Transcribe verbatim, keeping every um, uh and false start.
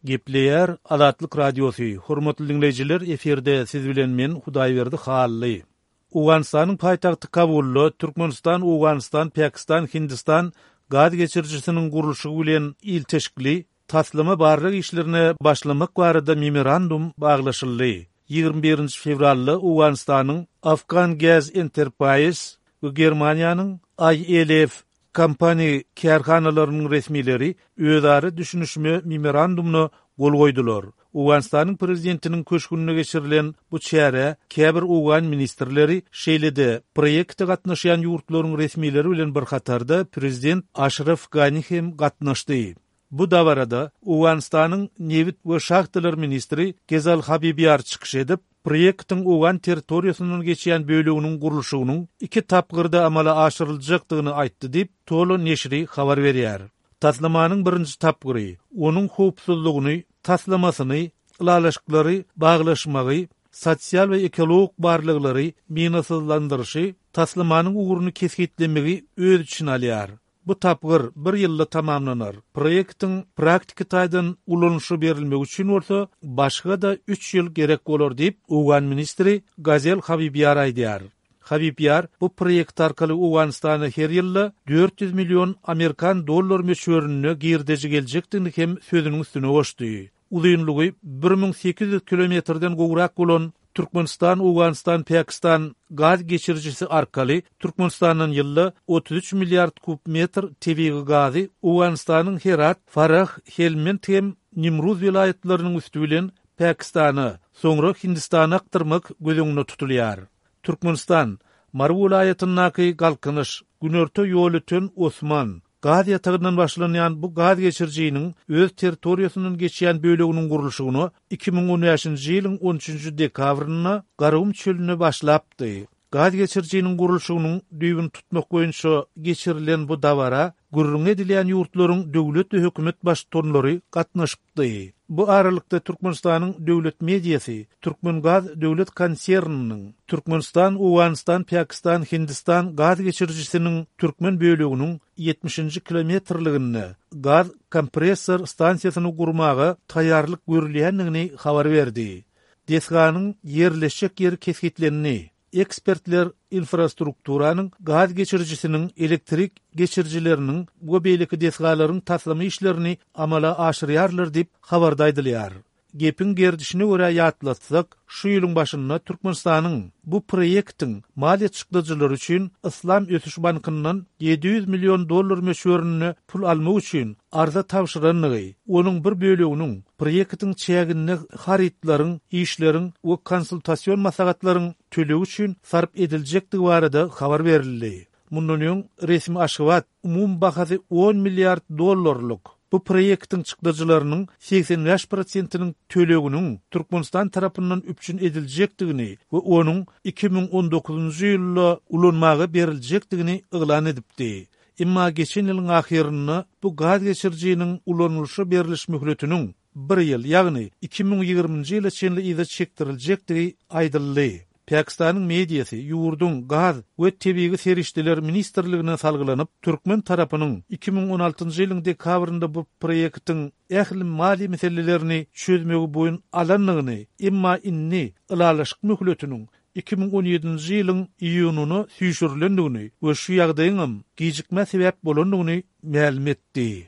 Gepleýär Azatlyk Radiosy. Hormatly diňleýjiler, efirde siz bilen men Hudaýberdi Hally. Owganystanyň paýtagty Kabulda Türkmenistan, Owganystan, Pakistan, Hindistan gaz geçirijisiniň gurluşygy bilen ilteşikli taslama barlag işlerine başlamak barada memorandum baglaşyldy. Ýigrimi birinji fewralda Owganystanyň Afgan Gas Enterprise we Germaniýanyň I L F kompaniýa kärhanalarynyň resmileri özara düşünişme memorandumyna gol goýdular. Owganystanyň prezidentiniň köşgünde geçirilen bu çärä käbir owgan ministrleri, şeýle-de proýekte gatnaşýan ýurtlaryň resmileri bilen bir hatarda prezident Aşraf Gani hem gatnaşdy. Bu dabarada Owganystanyň nebit we şahtalar ministri Gezal Habibiýar çykyş edip, proýektiň owgan territoriýasyndan geçýän böleginiň gurluşygynyň iki tapgyrda amala aşyryljakdygyny aýtdy diýip, Tolo neşiri habar berýär. Taslamanyň birinji tapgyry onuň howpsuzlygyny, taslamasyny, ylalaşyklary baglaşmagy, sosial we ekologik barlaglary, minasyzlandyryşy, taslamanyň ugruny kesgitlemegi öz içine alýar. Bu tapgyr bir ýylda tamamlanar. Proýektiň praktiki taýdan ulanyşa berilmegi üçin bolsa başga-da üç ýyl gerek bolar diýip, owgan ministri Gazel Habibiýar aýdýar. Habibiýar bu proýekt arkaly Owganystana her ýylda dört ýüz million amerikan dollar möçberinde girdeji geljekdigini hem sözüniň üstüne goşdy. Uzynlygy bir müň sekiz ýüz kilometrden gowrak bolan Türkmenistan, Owganystan, Pakistan gaz geçirijisi arkaly Türkmenistandan ýylda otuz üç milliard kub metr tebigy gazy Owganystanyň Herat, Farah, Helmend hem Nimruz welaýatlarynyň üsti bilen Pakistana, soňra Hindistana akdyrmak göz öňünde tutulýar. Türkmenistan, Mary welaýatyndaky Galkynyş, Günorta Ýolöten Osman gaz ýatagyndan başlanýan bu gaz geçirijiniň öz territoriýasyndan geçýän böleginiň gurluşygyna iki müň on bäşinji ýylyň on üçünji dekabrynda Garagum çölünde başlapdy. Gaz geçirijiniň gurluşygynyň düýbüni tutmak boýunça geçirilen bu dabara gürrüň edilýän ýurtlaryň döwlet we hökümet baştutanlary gatnaşypdy. Bu aralykda Türkmenistanyň döwlet mediasy Türkmengaz döwlet konserniniň Türkmenistan, Owganystan, Pakistan, Hindistan gaz geçirijisiniň türkmen böleginiň ýetmişinji kilometrliginde gaz kompressor stansiýasyny gurmaga taýýarlyk görülýändigini habar berdi. Desganyň ýerleşjek ýeri kesgitlendi. Ekspertler infrastrukturanyň, gaz geçirijisiniň, elektrik geçirijileriniň we beýleki desgalaryň taslama işlerini amala aşyrýarlar diýip habarda aýdylýar. Gepiň gerdişine görä ýatlatsak, şu ýylyň başynda Türkmenistanyň bu proýektiň maliýe çykdajylary üçin Yslam Ösüş Bankyndan ýedi ýüz million dollar möçberinde pul almak üçin arza tabşyrandygy, onuň bir böleginiň proýektiň çäginde harytlaryň, işleriň we konsultasyon maslahatlaryň tölegi üçin sarp ediljekdigi barada habar berildi. Mundan öň resmi Aşgabat umum bahasy on milliard dollarlyk bu proýektiň çykdajylarynyň segsen bäş prosentiniň töleginiň Türkmenistan tarapyndan üpjün ediljekdigini we onuň iki müň on dokuzynjy ýylda ulanmaga beriljekdigini yglan edipdi. Emma geçen ýylyň ahyrynda bu gaz geçirijiniň ulanylyşa beriliş möhletiniň bir ýyl, ýagny iki müň ýigriminji ýyla çenli yza çekdiriljekdigi aýdyldy. Pakistanyň mediasy ýurduň gaz we tebigy serişdeler ministrligine salgylanyp, türkmen tarapynyň iki müň on altynjy ýylyň dekabrynda bu proýektiň ähli maliýe meselelerini çözmegi boýun alandygyny, emma indi ylalaşyk möhletiniň iki müň on ýedinji ýylyň iýunyna süýşürilendigini we şu ýagdaýyňam gijikmä sebäp bolandygyny mälim etdi.